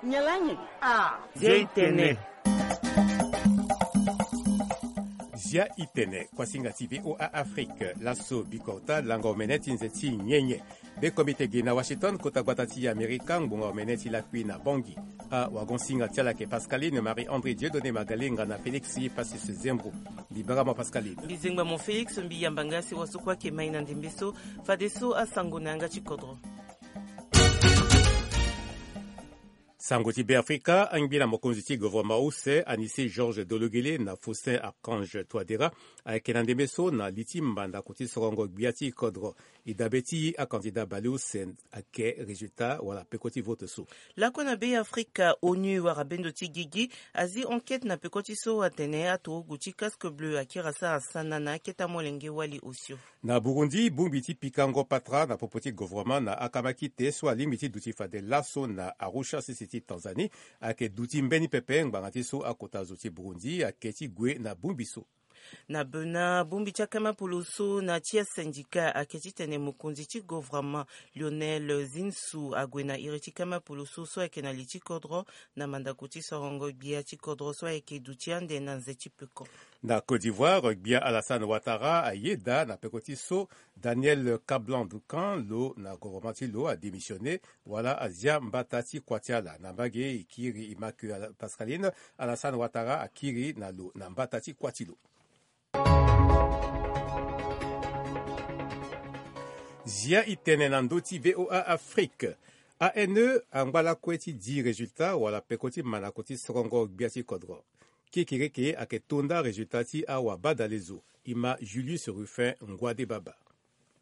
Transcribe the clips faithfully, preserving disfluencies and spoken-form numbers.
Nyen lani? Ah. Zia i tene. Zia i tene, kuasinga ti VOA Afrique. Laso bikota lango omene ti nze ti nyenye. Be komite gi na Washington, kota gbata ti Amerika, ngbonga omene ti lakui na Bangui. Awagonsinga ti ala ayeke Pascaline Marie André Dieudonné Magalenga na Félix Pacius Zembro. Mbi bara mo Pascaline. Mbi zengba mo Félix, mbi yamba nga si wasukua ayeke mai na ndembe so. Fadeso asango na yanga ti kodro. Sango ti Beafrika, angbi na mokonzi ti gouvernement use, Anicet Georges Dologuélé na Faustin Archange Touadéra, ayeke na ndembe so na li ti mandako ti sorongo gbia ti kodro. E dabe ti acandidat baleuse ayeke résultat wala peko ti vote so. Lakue na Beafrika, onu wara bendo ti gigi azi enquête na peko ti so atene aturugu ti casque bleu akiri asara sana na akete amolenge wali osio. Na Burundi, bongbi ti pikango patara na popo ti gouvernement na akamakite so alingbi ti duti fade laso na Arusha, sese ti Tanzanie, ayeke duti mbeni pepe ngbanga ti so akota zo ti Burundi ayeke ti gue na bongbi so. Na Bénin, bongbi ti akama poloso na ti asyndicat ayeke ti tene mokonzi ti gouvernement Lionel Zinsou ague na iri ti kama poloso so ayeke na li ti kodro na mandako ti sorongo gbia ti kodro so ayeke duti ande na nze ti peko. Na Côte d'Ivoire, gbia Alassane Ouattara ayeda na peko ti so Daniel Kablan Duncan lo na gouvernement ti lo adémissionné wala azia mbata ti kua ti ala. Na mbage e kiri e ma ke Ala- Pascaline, Alassane Ouattara akiri na lo na mbata ti kua ti lo. Zia i tene na ndö ti VOA Afrique. A N E angba lakue ti di résultat wala peko ti mandako ti sorongo gbia ti kodro. Kekereke ayeke to nda résultat ti awabadalezo. E ma Julius Ruffin Ngouadé Baba.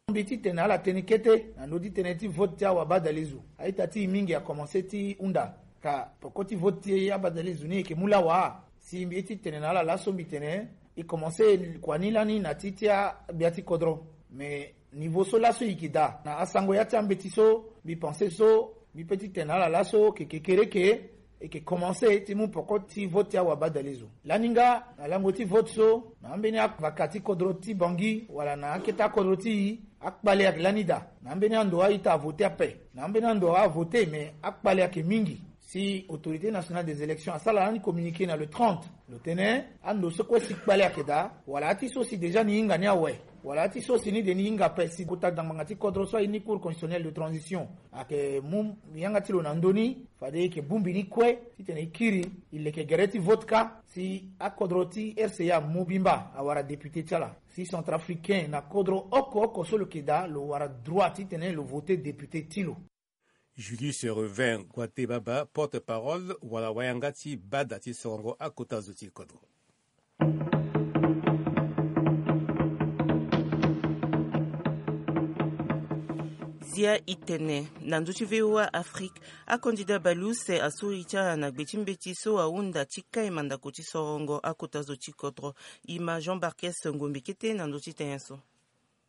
Mbi ti tene ala tene kete na ndö ti tënë ti vote ti awabadalezo. A-ita ti e mingi akomanse ti hunda. Ka peko ti vote ti abadalezo ni e yeke mu laa wa? Si mbi ye ti tene na ala laso mbi tene e komanse kua ni lani na ti ti agbia ti kodro. Me niveau so laso e yeke daa na asango ya ti ambeti so mbi pense so mbi pe ti tene na ala laso ke kekereke e yeke komanse ti mu peko ti vote ti awabadalezo. Lani nga na lango ti vote so na ambeni avaka ti kodro ti Bangui wala na akete akodro ti e, akpale ayeke lani daa. Na ambeni ando a-ita avote ape, na ambeni ando avote me akpale ayeke mingi. Si Autorité Nationale des Élections asara lani communiqué na le trente, lo tene ando so kue si kpale ayeke daa wala ati so si déjà ni hinga ni awe, wala ati so si ni de ni hinga ape si kota dangbanga ti kodro so aye ni Cour constitutionnelle de transition ayeke mu yanga ti lo na ndö ni, fade e yeke bongbi ni kue titene e kiri e leke gere ti vote kâ si akodro ti R C A amu bimba awara député ti ala. Si centrafricain na kodro oko oko so lo yeke daa lo wara droit titene lo vote député ti lo. Julius Revin Ngouadé Baba, porte-parole wala wayanga ti bada ti sorongo akota zo ti kodro. Zia i tene na ndö ti V O A Afrique, acandidat baleuse asori ti ala na gbe ti mbeti so ahunda ti kai mandako ti sorongo akota zo ti kodro. E ma Jean Barquès Ngombe kete na ndö ti tene so.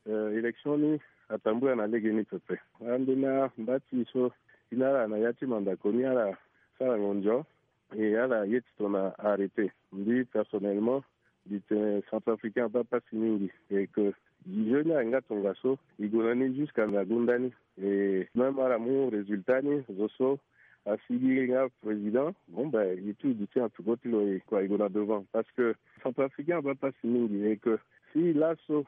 Eh, élection ni atambula na legeni pepe. Ambeni mba ti e so e na ala na ya ti mandako ni ala sara ngonzo. E ala ye titene arrêté. Mbi personnellement mbi tene centrafricain abaa pasi mingi. Et que jeu ni ayeke nga tongaso, e gue na ni jusqu'à na gonda ni. Et même ala mu résultat ni, zo so asigi nga président, bon ben e tout e duti na peko ti lo, e kua e gue na devant. Parce que centrafricain abaa pasi mingi. Et que si laso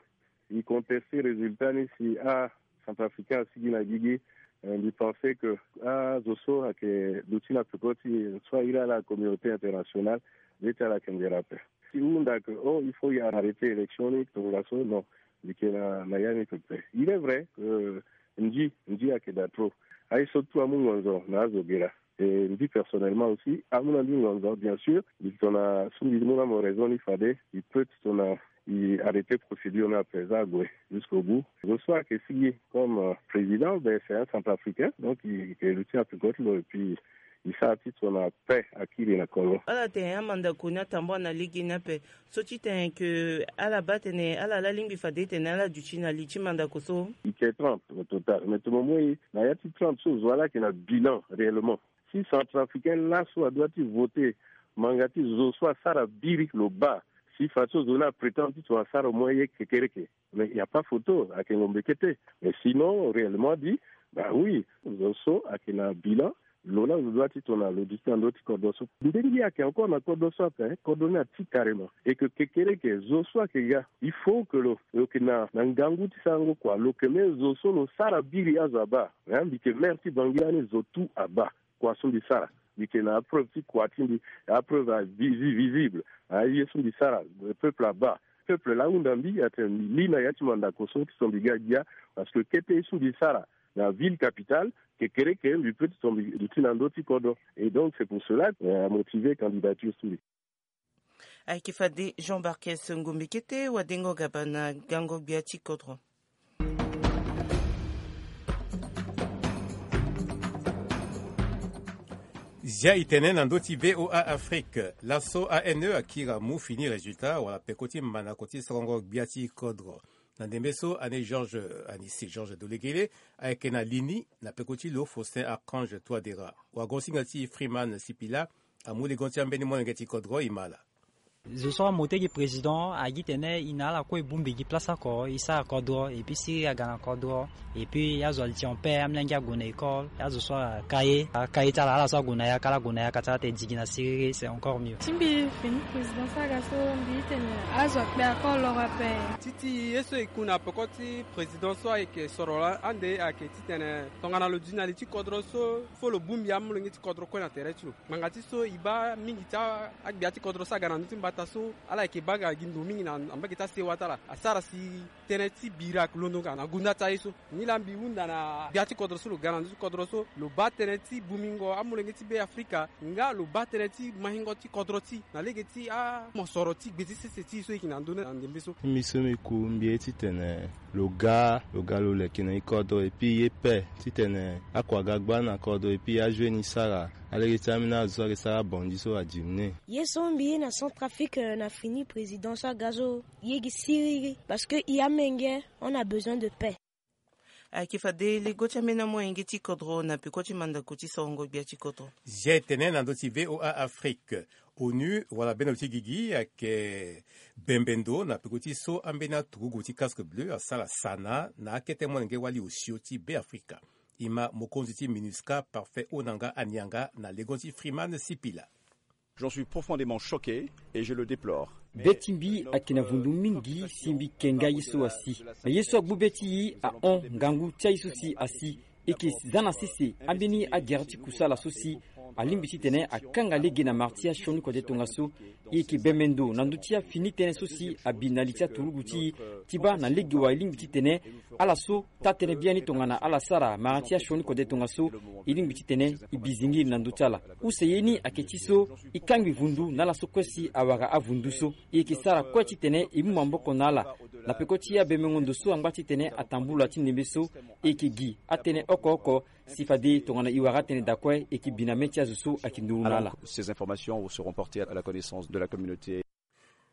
e contester résultat ni, si acentrafricain asigi na gigi, eh, mbi pense que azo so ayeke duti na peko ti e so airi ala communauté internationale, be ti ala ayeke nzere ape. Si e hunda que oh il faut e arrêter élection ni tongaso, non. Mbi yeke na, na ya ni pepe. Il est vrai que nzi, nzi ayeke daa trop. Aye so tout amu ngonzo na azo ge laa. Et mbi personnellement aussi amu na mbi ngonzo, bien sûr. Mbi tongana so mbi mu na mo raison ni fade e peut tongana e arrêter procédure ni ape, za ague jusqu'au bout. Zo so ayeke sigi comme, euh, président, ben c'est un centrafricain, donc e yeke luti na peko ti lo et puis e sara titene apaix akiri na Congo. Ala tene amandako ni atambula na legeni ape. So ti tene que ala baa tene ala laa lingbi fade tene ala duti na li ti mandako so. E yeke trente au total, mais tongana mo mu e na ya ti trente so, zo wa laa ayeke na bilan réellement. Si centrafricain laso adoit ti voter, ma nga ti zo so asara biri lo baa. Si fadeso zo ni aprétendre titene asara au moins ye kekereke, mais il y a pas photo, ayeke ngombe kete. Mais sinon réellement dit, bah oui, zo so ayeke na bilan, Lo laa lo doit ti tongana lo duti na ndö ti kodro so. Ndenge ayeke encore na kodro so ape, kodro ni ati carrément. Et que kekereke zo so ayeke ga, il faut que lo lo yeke na na ngangu ti sarango kua. Lo yeke même zo so lo sara biri azo abaa. Mbi yeke maire ti Bangui lani, zo tout abaa kua so mbi sara. Mbi yeke na apreuve ti kua ti mbi, apreuve avisi visible. Aye so mbi sara, peuple abaa. Peuple laa ahunda mbi atene mbi li na ya ti mandako so ti so mbi ga gbia. Parce que kete ye so mbi sara na ville capitale, kekereke mbi peut ti so mbi duti na ndö ti kodro. Et donc c'est pour cela amotive candidature ti mbi. Ayeke fade Jean Barkes Ngombe kete wadengo gaba na gango gbia ti kodro. Zia e tene na ndö ti VOA Afrique. Laso A N E akiri amu fini résultat wala peko ti mandako ti sorongo gbia ti kodro. Na ndembe so ane Georges, Anicet Georges Dolegele ayeke na li ni na peko ti lo Faustin Archange Touadéra. Wagosinga ti Freeman Sipila amu lege ti ambeni molenge ti kodro e ma ala. Zo so amote gi président agi tene e na ala kue e bongbi gi place oko e sara kodro et puis siriri aga na kodro. Et puis azo ali ti en paix, amolenge ague na école, azo so aka ye aka ye ti ala, ala so ague na yaka ala gue na yaka ti ala, ate digi na siriri, c'est encore mieux. Ti mbi fini président so aga so mbi tene azo akpe ako loro ape. Ti ti ye so e ku na peko ti président so ayeke soro laa ande ayeke titene tongana lo duti na li ti kodro so, fo lo bongbi amolenge ti kodro kue na tere ti lo. Ngbanga ti so e baa mingi ti agbia ti kodro so aga na ndö ti mbata so ala yeke baa ga gi ndo mingi na mbage ti asewa ti ala. Asara si tënë ti bira londo nga na gonda ti aye so. Nilaa mbi hunda na gbia ti kodro so lo ga na ndö ti kodro so lo baa tënë ti bongbingo amolenge ti Be Afrika nga lo baa tënë ti maingo ti kodro ti na lege ti amosoro ti gbe ti sese ti e so e yeke na ndö ni na ndembe so. Mbi so mbi ku mbi ye titene lo ga lo ga lo leke na e kodro et puis e ye paix titene akua ga gba na kodro et puis ajoue ni sara alege ti ambeni azo so ayeke sara abandi so adimine. Ye so mbi ye na Centrafrique na fini président so aga so ye gi siriri parce que e amenge on a besoin de paix. Ayeke fade lego ti ambeni amolenge ti kodro na peko ti mandako ti sorongo gbia ti kodro. Zia e tene na ndö ti VOA Afrique. ONU wala bendo ti gigi ayeke bembe ndo na peko ti so ambeni aturugu ti casque bleu asara sana na akete molenge wali osio ti Be Afrika. E ma mokonzi ti MINUSCA Parfait Onanga Anianga na lego ti Freeman Sipila. J'en suis profondément choqué et je le déplore. Be ti mbi ayeke na vundu mingi si mbi yeke nga ye so asi. Na ye so agbu be ti e ahon ngangu ti aye so si asi. E yeke za na sese ambeni agere ti kusala so si alingbi titene akanga lege na mara ti asioni kode tongaso. E yeke bembe ndo na ndö ti afini tënë so si abi na li ti aturugu ti e ti baa na lege wa e lingbi titene ala so taa-tënë biani tongana ala sara mara ti asioni kode tongaso. E lingbi titene e bi zingiri na ndö ti ala. Use ye ni ayeke ti so e kangbi vundu na ala so kue si awara avundu so. E yeke sara kue titene e mu maboko na ala na peko ti abembengo ndo so angba titene atambula ti ndembe so. E yeke gi atënë oko oko si fade tongana e wara atënë daa kue e yeke bi na mê ti azo so ayeke nduru na ala. Alors, ces informations seront portées à la connaissance de la communauté.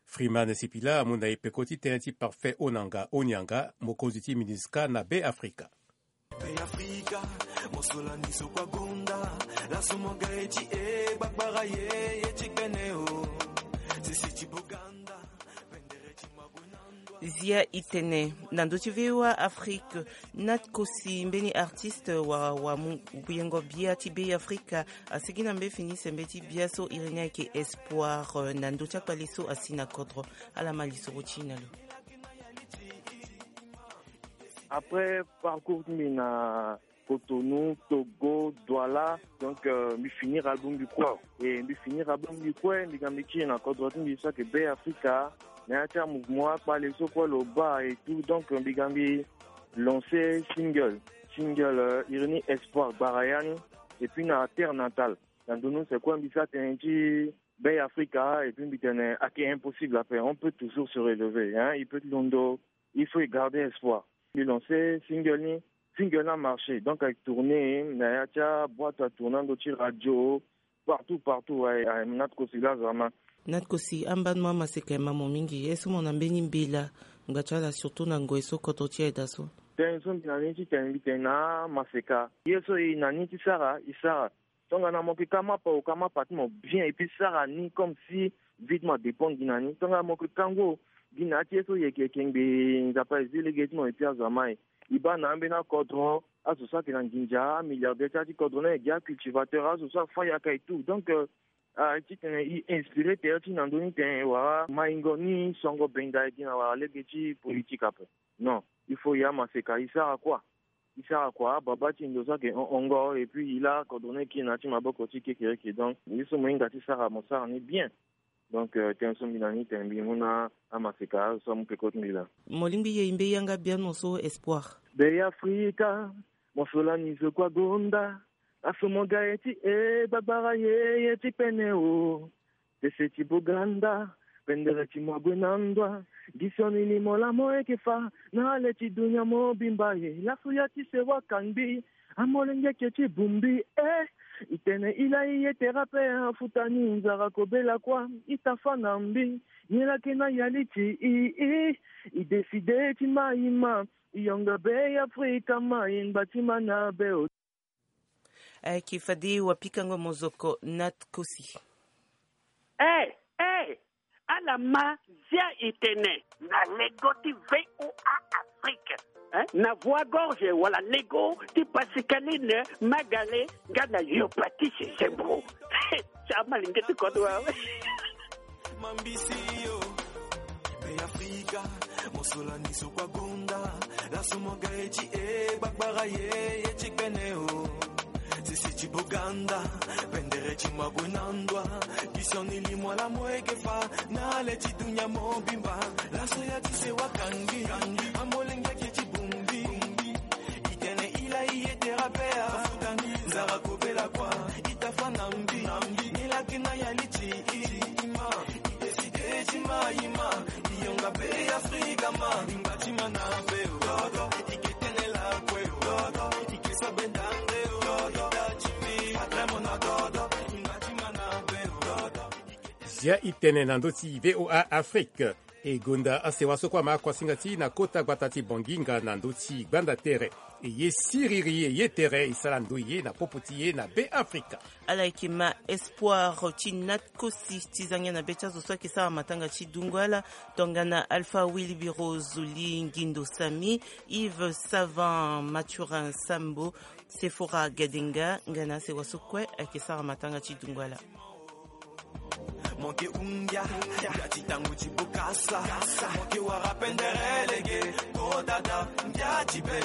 Freeman Sipila amu na e peko ti tënë ti Parfait Onanga Onianga, mokonzi ti MINUSCA na Be Afrika. Be Afrika, mo so lani so kua gonda, laso mo ga ye ti e gbagbara ye, ye ti gbene o. Sese ti Boganda, bendere ti Magonanda. Zia e tene na ndö ti VOA Afrique. Na ti kosi mbeni artiste wala wamu yengo bia ti Be Afrika asigi na mbeni fini sembe ti bia so iri ni ayeke Espoir, eh, na ndö ti akpale so asi na kodro. Ala ma lisoro ti e na lo. Après parcours ti mbi na Cotonou, Togo, Douala, donc, euh, mbi finir album mbi kue. E mbi finir album mbi kue, mbi ga mbi kiri na kodro ti mbi so ayeke Be Afrika. Na ya ti amouvement akpale so kue lo baa et tout, donc mbi ga mbi lancer single. Single, euh, iri ni Espoir gbara ya ni. Et puis na terre natale, na ndonu use kue mbi sara tënë ti Be Afrika, et puis mbi tene ayeke impossible ape, on peut toujours se relever, hein, e peut ti londo, il faut e garder espoir. Mbi lancer single ni, single ni amarché, donc ayeke tourner na ya ti aboîte à tourner ando ti radio, partout partout. Aye, aye, na ti kosi laa vraiment. Na ti kosi ambani mo amaseka e ma mo mingi, ye so mo na mbeni mbela ngba ti ala, surtout na ngoi so kodro ti e aye so. Tënë so mbi na ni ti tene mbi tene na amaseka, ye so e na ni ti sara e sara. Tongana mo yeke ka mapa, o ka mapa ti mo bien et puis sara ni comme si vie ti mo adépend gi na ni. Tongana mo yeke ka ngu, gi na ya ti ye so e yeke, e yeke ngbii, Nzapa e zi lege ti mo et puis azo ama e. E baa na ambeni akodro, Azo so ayeke na nginza, amilliardaire ti ya ti kodro ni ayeke gi acultivateur, azo so afa yaka et tout. Donc, euh, ah, titene e inspiré tere ti na ndö ni tene wala maingo ni songo benda e gi na wala lege ti politique ape. Non, il faut e amaseka e sara kua. E sara kua, ababa ti e ndo so ayeke hon-, hongo, et puis e laa kodro ni e kiri na ya ti maboko ti kekereke. Donc ye so mo hinga ti sara, mo sara ni bien. Donc, euh, tënë so mbi na ni tene mbi mu na amaseka azo so amu peko ti mbi laa. Mo lingbi ye e mbeni yanga biani mo so, Espoir. Beafrika, mo so lani zo kua gonda, laso mo ga ye ti e gbagbara ye, ye ti pene o. Sese ti Boganda, pendere ti mo ague na ndwa, gi sioni ni mo laa mo yeke fa na ale ti dunia mobimba e. Laso ya ti sewa kangbi, amolenge eke ti bumbi e. E tene e laa e ye tere ape, afuta ni nzara kobela kua, e ta fa na mbi. Nyen lake na ya li ti e, e, e décidé ti ma e ma, e yonga Beafrika ma, e ngba ti ma na be o. Ayeke fade wapikango mozoko Nat Kosi. Eh, eh, ala ma Zia e tene na lego ti V O A Afrique, eh? Na Voix Gorge wala lego ti Pascaline Magale nga na Yo Patrice Zembro. Ti amalenge ti kodro awe. Mambisi yo. Beafrika, mo so lani zo kua gonda, laso mo ga ye ti e gbagbara ye, ye ti pene o. Sese ti Boganda, pendere ti mo ague na ndwa, gi sioni ni mo laa mo yeke fa na ale ti dunia mobimba. Laso ya ti sewa kangbi, amolenge eke ti bumbi. E tene e laa e ye tere ape, afuta ni nzara kobela kua, e ta fa na mbi. Nyen lake na ya li ti e ma, e décidé ti ma e ma, e yonga Beafrika ma, e ngba ti ma na be o. Dodo, e ke tene lakue o. Dodo, e ke so benda nde o. Dodo, e da ti mbi, fatre mo na dodo, e ngba ti ma na be o. Dodo. Zia e tene na ndö ti V O A Afrique. E gonda asewa so kue ama kuasinga ti e na kota gbata ti Bangui nga na ndö ti gbanda tere. E ye siriri, e ye tere, e sara ndoye na popo ti e na Beafrika. Ala yeke ma Espoir ti Nat Kosi ti zangia na be ti azo so ayeke sara matanga ti dungo ala, tongana Alpha Wilibiro Zuli, Ngindo Sami, Yves Savant, Mathurin Sambo, Sephora Gadenga, nga na asewa so kue ayeke sara matanga ti dungo ala. Mo ke hungia, ya ti tango ti bokasa. Mo ke wara pendere lege, ko dada, ndia ti be.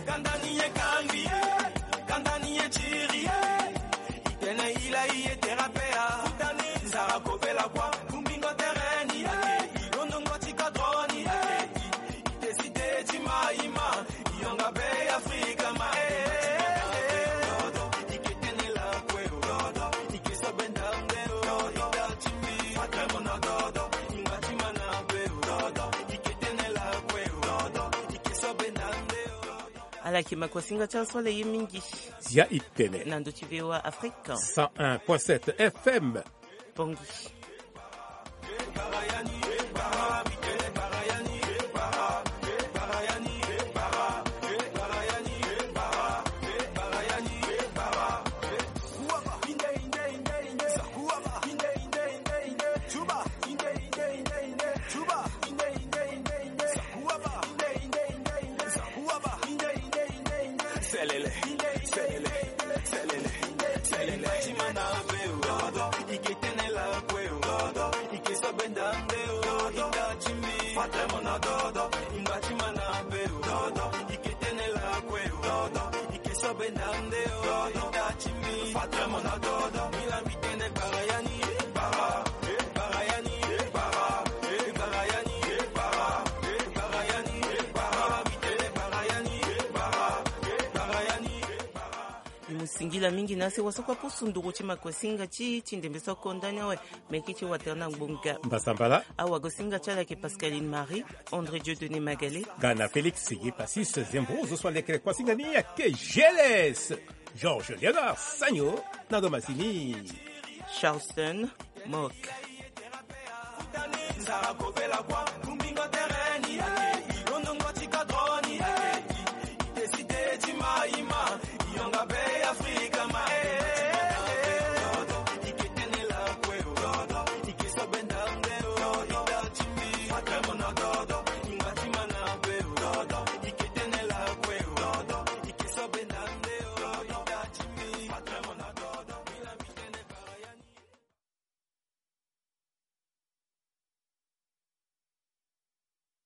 Kanda ni ye kangbi ye, kanda ni ye tiri ye. E tene e laa e ye tere ape, afuta ni nzara kobela kua. Kumbingo tere ni ake, e londongo ti kodro ni ake. E décidé ti ma e ma, e yonga Beafrika ma e. Ala yeke ma kuasinga ti aso ala ye mingi. Zia e tene. Na ndö ti V O A Afrique. Cent un point sept F M. Bangui. Selele, selele, selele, selele. Ti ma na be o. Dodo, i ke tene lakue o. Dodo, i ke so benda nde o. Dodo, i da ti mbi. Fatre mo na dodo, i ngba ti ma na be o. Dodo, i ke tene lakue o. Dodo, i ke so benda nde o. Dodo, i da ti mbi. Fatre mo na dodo, mi la mbi tene gbara ya ni, gbara, eh, gbara ya ni, eh, gbara, eh, gbara ya ni, eh, gbara, eh, gbara ya ni, eh, gbara, mbi tene gbara ya ni, eh, gbara, eh, gbara ya ni, eh, gbara. Mbi mu singila mingi na asewa so kue apusu nduru ti makuasinga ti, ti ndembe so akonda ni awe. Meke ti watana ngbonga. Mbasambala. Awagosinga ti ala ayeke Pascaline Marie, André Dieudonné Magalé. Nga na Félix Yepasis Zembro, zo so alekere kuasinga ni ayeke G L S. Georges Léonard Sagno na ndo masini. Charleston Mock.